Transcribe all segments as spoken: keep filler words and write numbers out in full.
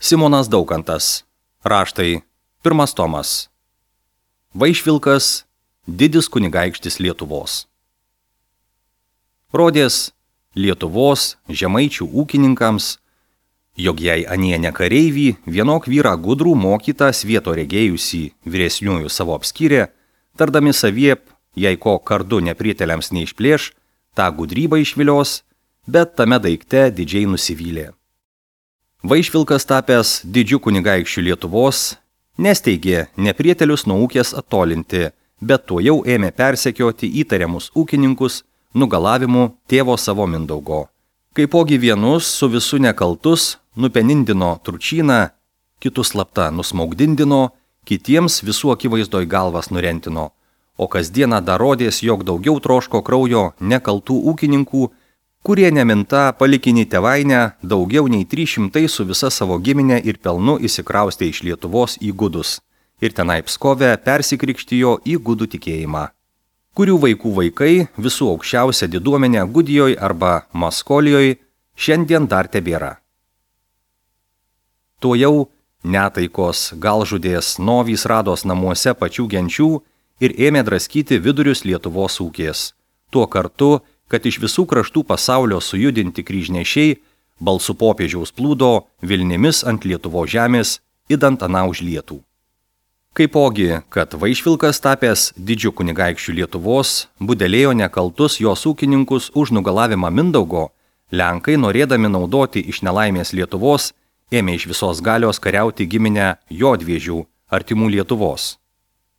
Simonas Daukantas. Raštai. Pirmas tomas. Vaišvilkas. Didis kunigaikštis Lietuvos. Rodės Lietuvos žemaičių ūkininkams, jog jei anie ne kareivį, vienok vyrą gudrų mokytą svieto regėjusį vyresniųjų savo apskyrė, tardami saviep, jei ko kardu neprieteliams neišplėš, tą gudrybą išvilios, bet tame daikte didžiai nusivylė. Vaišvilkas tapęs didžiu kunigaikščiu Lietuvos, nesteigė neprietelius nuo ūkės attolinti, bet tuo jau ėmė persekioti įtariamus ūkininkus nugalavimu tėvo savo Mindaugo. Kaipogi vienus su visu nekaltus nupenindino tručyną, kitus slapta nusmaugdindino, kitiems visų akivaizdoj galvas nurentino, o kasdieną dar rodės, jog daugiau troško kraujo nekaltų ūkininkų, kurie neminta palikinį tėvainę daugiau nei trys šimtai su visa savo giminė ir pelnu įsikraustė iš Lietuvos į Gudus ir tenai Pskove persikrikštijo į gudų tikėjimą, kurių vaikų vaikai visų aukščiausia diduomenė Gudijoj arba Maskolijoj šiandien dar tebėra. Tuo jau netaikos galžudės novys rados namuose pačių genčių ir ėmė draskyti vidurius Lietuvos ūkės. Tuo kartu, kad iš visų kraštų pasaulio sujudinti kryžnešiai balsų popiežiaus plūdo Vilnimis ant Lietuvos žemės, idant aną užlietų. Kaipogi, kad Vaišvilkas tapęs didžiu kunigaikščiu Lietuvos budelėjo nekaltus jos ūkininkus už nugalavimą Mindaugo, lenkai, norėdami naudoti iš nelaimės Lietuvos, ėmė iš visos galios kariauti giminę Jodviežių, artimų Lietuvos.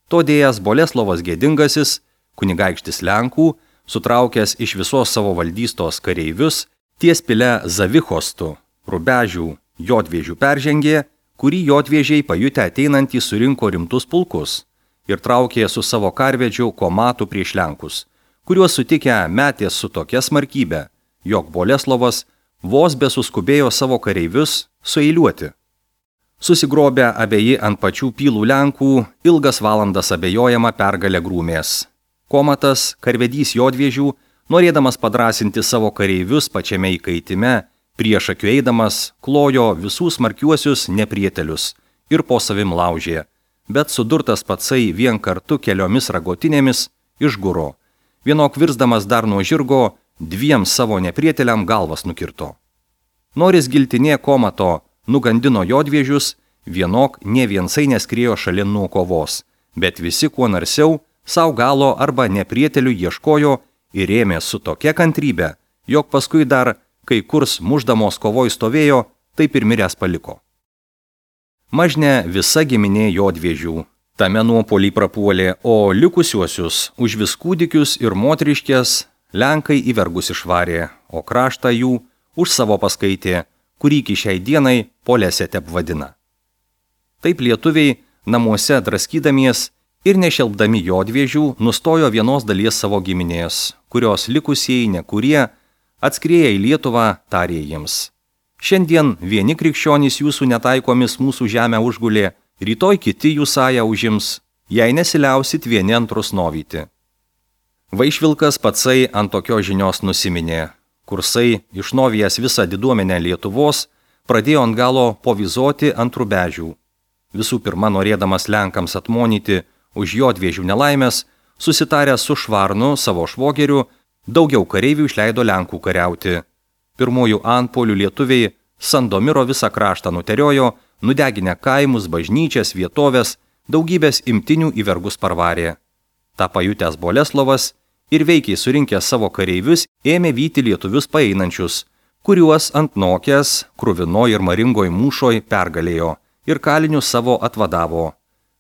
Todėjas Boleslovas Gėdingasis, kunigaikštis Lenkų, sutraukęs iš visos savo valdystos kareivius, ties pile Zavichostu, Rubežių, Jodviežių peržengė, kurį Jodviežiai pajutę ateinantį surinko rimtus pulkus ir traukė su savo karvedžiu komatų prieš Lenkus, kuriuos sutikę metė su tokia smarkybė, jog Boleslovas vos besuskubėjo savo kareivius sueiliuoti. Susigrobę abeji ant pačių pylų Lenkų, ilgas valandas abejojama pergalę grūmės. Komatas, karvedys Jodviežių, norėdamas padrasinti savo kareivius pačiame įkaitime, prieš akių eidamas klojo visų smarkiuosius neprietelius ir po savim laužė, bet sudurtas patsai vien kartu keliomis ragotinėmis išguro. Vienok virsdamas dar nuo žirgo, dviem savo neprieteliam galvas nukirto. Noris giltinė Komato nugandino Jodviežius, vienok ne viensai neskriejo šalin nuo kovos, bet visi kuo narsiau sau galo arba neprietelių ieškojo ir ėmė su tokia kantrybė, jog paskui dar kai kurs muždamos kovoj stovėjo, taip ir miręs paliko. Mažne visa giminė Jodviežių tame nuopolį prapuolė, o likusiuosius už vis kūdikius ir moteriškės Lenkai į vergus išvarė, o kraštą jų už savo paskaitė, kurį iki šiai dienai Polesė tep vadina. Taip lietuviai namuose draskydamies ir nešelbdami Jodviežių nustojo vienos dalies savo giminės, kurios likusieji nekurie atskrieję į Lietuvą tarė jiems. Šiandien vieni krikščionys jūsų netaikomis mūsų žemę užgulė, rytoj kiti jų sąją užims, jei nesiliausit vieni antrus novyti. Vaišvilkas patsai ant tokios žinios nusiminė. Kursai, išnovijęs visą diduomenę Lietuvos, pradėjo ant galo povizoti ant Rubežių. Visų pirma, norėdamas Lenkams atmonyti už Jodviežių nelaimės, susitaręs su Švarnu, savo švogeriu, daugiau kareivių išleido Lenkų kariauti. Pirmųjų antpolių lietuviai Sandomiro visą kraštą nuteriojo, nudeginę kaimus, bažnyčias, vietovės, daugybės imtinių į vergus parvarė. Ta pajutęs Boleslovas ir veikiai surinkęs savo kareivius ėmė vyti lietuvius paeinančius, kuriuos ant nokės, kruvino ir maringoj mūšoj pergalėjo ir kalinius savo atvadavo.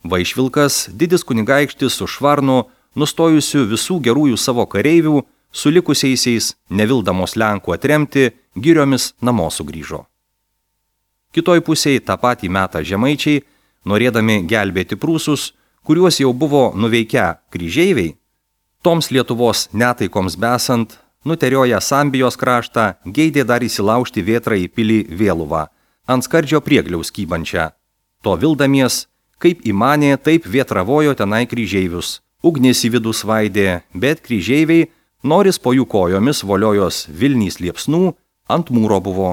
Vaišvilkas, didis kunigaikštis su Švarnu, nustojusiu visų gerųjų savo kareivių, su likusiaisiais, nevildamos Lenkų atremti, giriomis namo sugrįžo. Kitoj pusėje tą patį metą žemaičiai, norėdami gelbėti prūsus, kuriuos jau buvo nuveikę kryžeiviai, toms Lietuvos netaikoms besant, nuterioję Sambijos kraštą, geidė dar įsilaužti vėtrą į pilį Vėluvą, ant skardžio priegliaus kybančią. To vildamies, kaip įmanė, taip vėtravojo tenai kryžeivius. Ugnis į vidų svaidė, bet kryžeiviai, noris po jų kojomis voliojos Vilnys liepsnų, ant mūro buvo,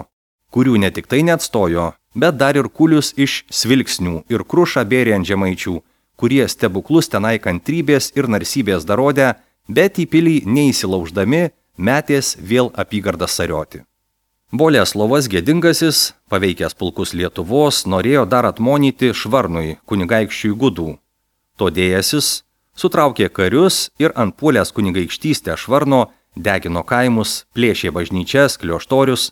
kurių ne tik tai neatstojo, bet dar ir kulius iš Svilksnių ir Krušą bėrė ant žemaičių, kurie stebuklus tenai kantrybės ir narsybės darodė, bet į pilį neįsilauždami metės vėl apygardą sarioti. Boleslovas Gėdingasis, paveikęs pulkus Lietuvos, norėjo dar atmonyti Švarnui, kunigaikščiui Gudų. Todėjasis sutraukė karius ir ant puolės kunigaikštystę Švarno degino kaimus, plėšė bažnyčias, klioštorius.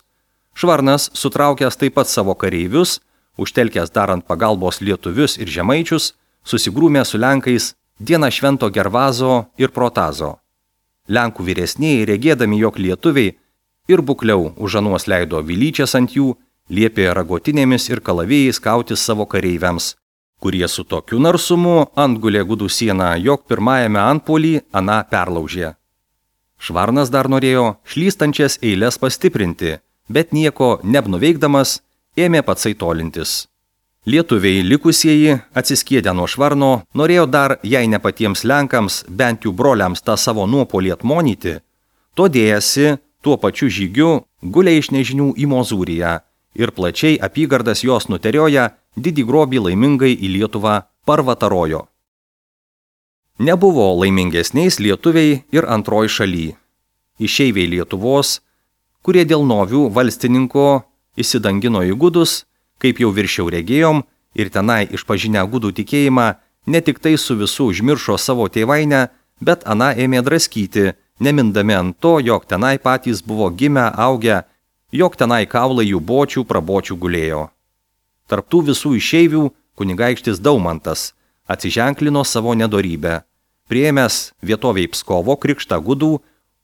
Švarnas, sutraukęs taip pat savo kareivius, užtelkęs darant pagalbos lietuvius ir žemaičius, susigrūmė su Lenkais dieną švento Gervazo ir Protazo. Lenkų vyresnieji, regėdami, jog lietuviai ir bukliau už anuos leido vilyčias ant jų, liepė ragotinėmis ir kalavėjais kautis savo kareiviams, kurie su tokiu narsumu antgulė Gudų sieną, jog pirmajame antpuolį aną perlaužė. Švarnas dar norėjo šlystančias eiles pastiprinti, bet nieko neapnuveikdamas ėmė patsai tolintis. Lietuviai likusieji, atsiskėdę nuo Švarno, norėjo dar, jei ne patiems Lenkams, bent jų broliams tą savo nuopolį atmonyti, todėjasi tuo pačiu žygiu gulė iš nežinių į Mozūriją ir plačiai apygardas jos nuterioja didį grobį laimingai į Lietuvą parvatarojo. Nebuvo laimingesniais lietuviai ir antroji šaly. Išeiviai Lietuvos, kurie dėl novių valstininko įsidangino į Gudus, kaip jau viršiau regėjom, ir tenai išpažinę Gudų tikėjimą, ne tik tai su visų užmiršo savo tėvainę, bet aną ėmė draskyti, nemindami ant to, jog tenai patys buvo gimę, augę, jog tenai kaulai jų bočių prabočių gulėjo. Tarptų visų išeivių kunigaikštis Daumantas atsiženklino savo nedorybę. Priėmęs vietoviai Pskovo krikštą Gudų,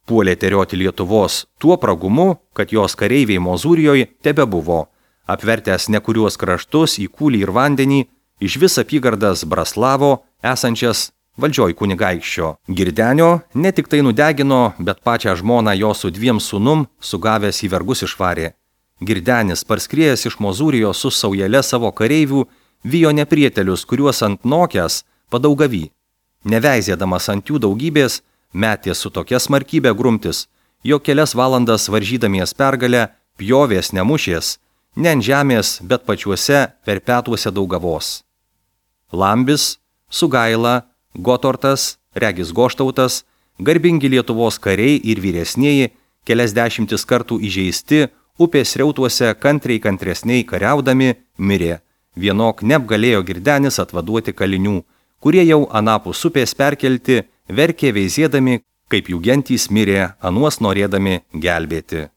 puolė terioti Lietuvos tuo pragumu, kad jos kareiviai Mozūrijoje tebe buvo, apvertęs nekuriuos kraštus į kūlį ir vandenį, iš vis apygardas Braslavo, esančias valdžioj kunigaikščio. Girdenio ne tik tai nudegino, bet pačią žmoną jo su dviem sūnum sugavęs į vergus išvarė. Girdenis, parskriejęs iš Mozūrijos su saujelė savo kareivių, vijo neprietelius, kuriuos ant nokės padaugavy. Neveizėdamas ant jų daugybės, metė su tokia smarkybė grumtis, jog kelias valandas varžydamies pergalę, pjovės nemušės, ne ant žemės, bet pačiuose perpetuose daugavos. Lambis, Sugaila, Gotortas, Regis Goštautas, garbingi Lietuvos kariai ir vyresnieji, kelias dešimtis kartų įžeisti, upės reutuose kantriai kantresniai kariaudami, mirė. Vienok neapgalėjo Girdenis atvaduoti kalinių, kurie jau anapus upės perkelti, verkė veizėdami, kaip jų gentys mirė, anuos norėdami gelbėti.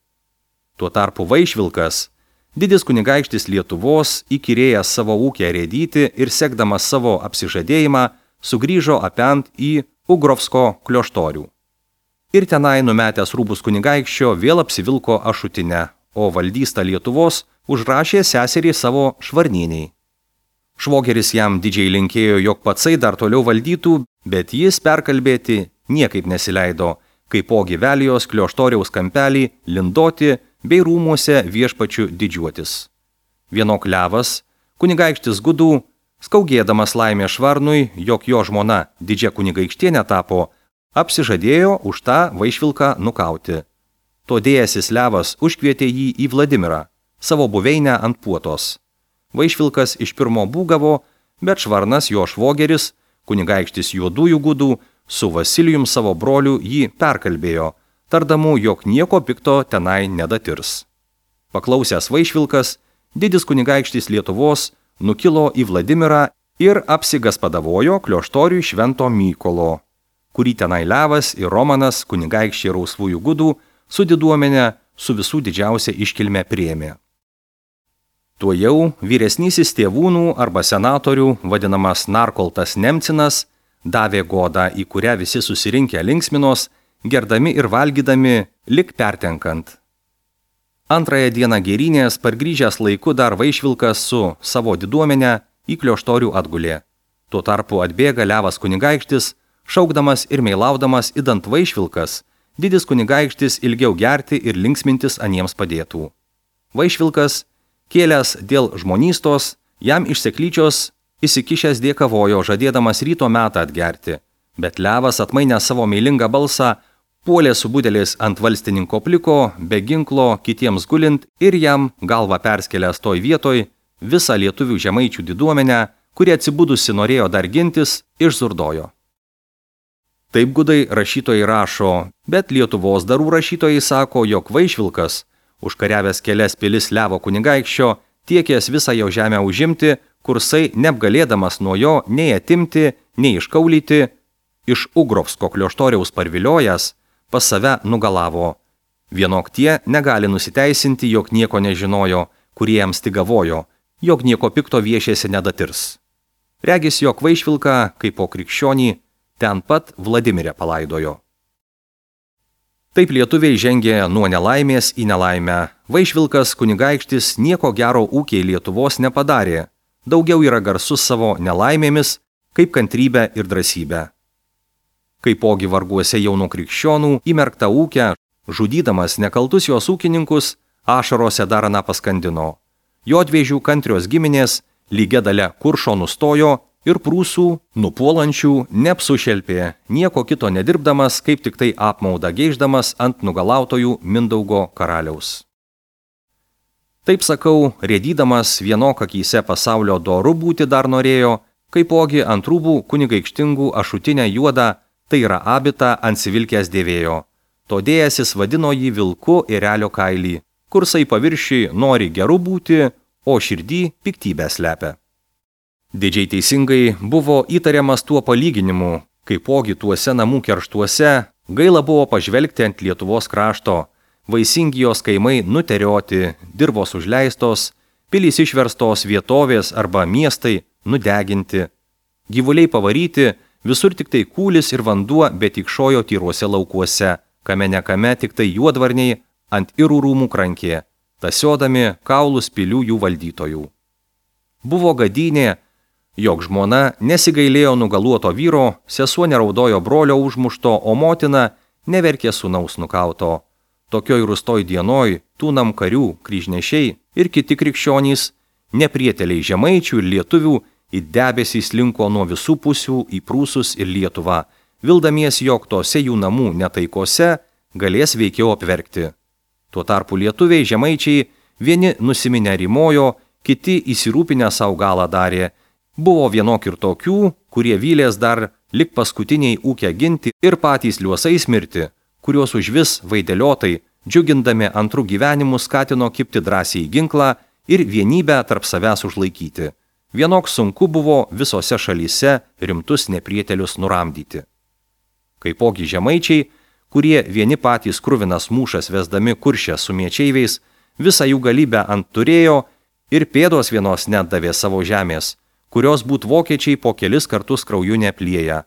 Tuo tarpu Vaišvilkas, didis kunigaikštis Lietuvos, įkyrėjęs savo ūkę rėdyti ir sekdamas savo apsižadėjimą, sugrįžo apent į Ugrovsko klioštorių. Ir tenai numetęs rūbus kunigaikščio vėl apsivilko ašutinę, o valdystą Lietuvos užrašė seserį savo Švarnieniai. Švogeris jam didžiai linkėjo, jog patsai dar toliau valdytų, bet jis perkalbėti niekaip nesileido, kaipogi Velijos klioštoriaus kampelį lindoti bei rūmuose viešpačių didžiuotis. Vienok Levas, kunigaikštis Gudų, skaugėdamas laimę Švarnui, jog jo žmona didžia kunigaikštienė tapo, apsižadėjo už tą Vaišvilką nukauti. Todėjasis Levas užkvietė jį į Vladimirą, savo buveinę ant Puotos. Vaišvilkas iš pirmo būgavo, bet Švarnas, jo švogeris, kunigaikštis Juodųjų Gudų, su Vasilijum savo broliu jį perkalbėjo, tardamų, jog nieko pikto tenai nedatirs. Paklausęs Vaišvilkas, didis kunigaikštis Lietuvos, nukilo į Vladimirą ir apsigaspadavojo klioštoriui Švento Mykolo, kurį tenai Levas ir Romanas, kunigaikščiai Rausvųjų Gudų, su diduomenė su visų didžiausia iškilme priėmė. Tuo jau vyresnysis tėvūnų arba senatorių, vadinamas Narkoltas Nemcinas, davė godą, į kurią visi susirinkę linksminos, gerdami ir valgydami, lik pertenkant. Antrąją dieną gėrynės, pargrįžęs laiku dar Vaišvilkas su savo diduomenė į klioštorių atgulė. Tuo tarpu atbėga Levas kunigaikštis, šaukdamas ir meilaudamas idant Vaišvilkas, didis kunigaikštis ilgiau gerti ir linksmintis aniems padėtų. Vaišvilkas, kėlęs dėl žmonystos, jam iš seklyčios įsikišęs dėkavojo, žadėdamas ryto metą atgerti, bet Levas atmainęs savo meilingą balsą, puolė su budelis ant valstininko pliko, be ginklo, kitiems gulint ir jam galvą perskelęs toj vietoj, visą lietuvių žemaičių diduomenę, kuri atsibudusi norėjo dar gintis, išzurdojo. Taip gudai rašytojai rašo, bet Lietuvos darų rašytojai sako, jog Vaišvilkas, užkariavęs kelias pilis Levo kunigaikščio, tiekęs visą jo žemę užimti, kursai neapgalėdamas nuo jo nei atimti, nei iškaulyti, iš Ugrovsko klioštoriaus parviliojęs, pas save nugalavo. Vienok tie negali nusiteisinti, jog nieko nežinojo, kurie jam stigavojo, jog nieko pikto viešėsi nedatirs. Regis, jog Vaišvilką, kaip po krikščionį, ten pat Vladimirę palaidojo. Taip lietuviai žengė nuo nelaimės į nelaimę. Vaišvilkas kunigaikštis nieko gero ūkiai Lietuvos nepadarė. Daugiau yra garsus savo nelaimėmis, kaip kantrybę ir drąsybę. Kaipogi varguose jaunų krikščionų įmerktą ūkę, žudydamas nekaltus jos ūkininkus, ašarose dar aną paskandino. Jodvėžių kantrios giminės lygia dalia kuršo nustojo ir prūsų, nupuolančių, neapsušelpė, nieko kito nedirbdamas, kaip tik tai apmaudą geiždamas ant nugalautojų Mindaugo karaliaus. Taip sakau, rėdydamas vienok akyse pasaulio doru būti dar norėjo, kaipogi ant rūbų kunigaikštingų ašutinę juodą, tai yra abitą ansivilkęs dėvėjo. Todėjasis vadino jį vilku erelio kailį, kursai paviršiui nori gerų būti, o širdį piktybę slepia. Didžiai teisingai buvo įtariamas tuo palyginimu, kaipogi tuose namų kerštuose gaila buvo pažvelgti ant Lietuvos krašto, vaisingi jos kaimai nuterioti, dirvos užleistos, pilys išverstos vietovės arba miestai nudeginti, gyvuliai pavaryti, visur tik tai kūlis ir vanduo, bet tikšojo tyruose laukuose, kame nekame tik tai juodvarniai ant irų rūmų krankė, tasiodami kaulus pilių jų valdytojų. Buvo gadynė, jog žmona nesigailėjo nugaluoto vyro, sesuo neraudojo brolio užmušto, o motina neverkė sūnaus nukauto. Tokioj rūstoj dienoj tūnam karių, kryžnešiai ir kiti krikščionys, neprieteliai žemaičių ir lietuvių, į debesį slinko nuo visų pusių į Prūsus ir Lietuvą, vildamies, jog tose jų namų netaikose galės veikiau apverkti. Tuo tarpu lietuviai žemaičiai vieni nusiminę rimojo, kiti įsirūpinę savo galą darė. Buvo vienok ir tokių, kurie vylės dar lik paskutiniai ūkę ginti ir patys liuosais mirti, kuriuos užvis vaideliotai, džiugindami antrų gyvenimų, skatino kipti drąsiai į ginklą ir vienybę tarp savęs užlaikyti. Vienok sunku buvo visose šalyse rimtus neprietelius nuramdyti. Kaipogi žemaičiai, kurie vieni patys kruvinas mūšas vesdami kuršę su miečeiviais, visą jų galybę ant turėjo ir pėdos vienos net davė savo žemės, kurios būt vokiečiai po kelis kartus krauju neplieja.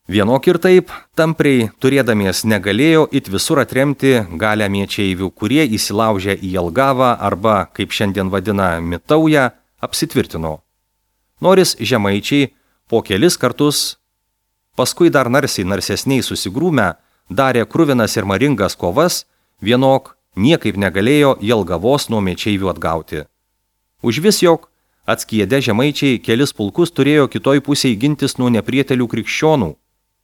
Vienok ir taip, tampriai turėdamies negalėjo it visur atremti galę miečeivių, kurie įsilaužę į Jelgavą arba, kaip šiandien vadina, Mitaują, apsitvirtino. Noris žemaičiai po kelis kartus, paskui dar narsiai narsesniai susigrūmę, darė kruvinas ir maringas kovas, vienok niekaip negalėjo Jelgavos nuo miečeivių atgauti. Užvis jog atskiedę žemaičiai kelis pulkus turėjo kitoj pusėj gintis nuo neprietelių krikščionų,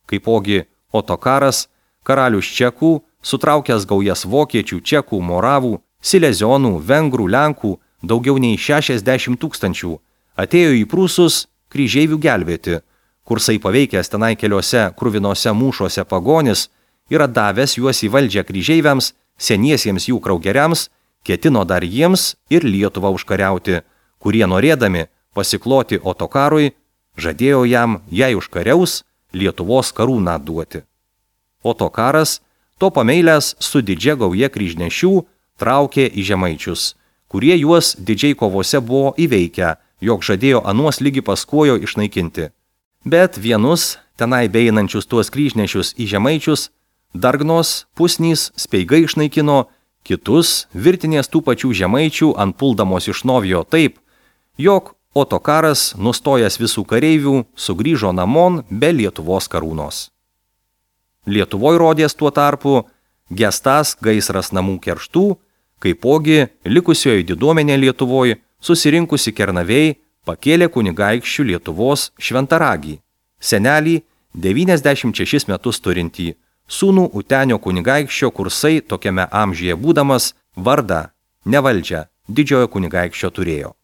kaipogi Otokaras, karalius čekų, sutraukęs gaujas vokiečių, čekų, moravų, silezionų, vengrų, lenkų, daugiau nei šešiasdešimt tūkstančių, atėjo į Prūsus kryžeivių gelbėti, kursai paveikęs tenai keliose kruvinose mūšuose pagonis ir atdavęs juos į valdžią kryžeiviams, seniesiems jų kraugeriams, ketino dar jiems ir Lietuvą užkariauti, kurie norėdami pasikloti Otokarui, žadėjo jam, jei užkariaus, Lietuvos karūną duoti. Otokaras, to pameilęs su didžia gauja kryžnešių, traukė į žemaičius, kurie juos didžiai kovose buvo įveikę, jog žadėjo anuos lygi paskuojo išnaikinti. Bet vienus, tenai beinančius tuos kryžnešius į žemaičius, dargnos, pusnys, speigai išnaikino, kitus virtinės tų pačių žemaičių antpuldamos išnovijo taip, jog Otokaras, nustojęs visų kareivių, sugrįžo namon be Lietuvos karūnos. Lietuvoj rodės tuo tarpu gestas gaisras namų kerštų, kaipogi likusioji diduomenė Lietuvoj, susirinkusi Kernavėj, pakėlė kunigaikščių Lietuvos šventaragį, senelį devyniasdešimt šešis metus turintį, sūnų Utenio kunigaikščio kursai tokiame amžiuje būdamas vardą, nevaldžią, didžiojo kunigaikščio turėjo.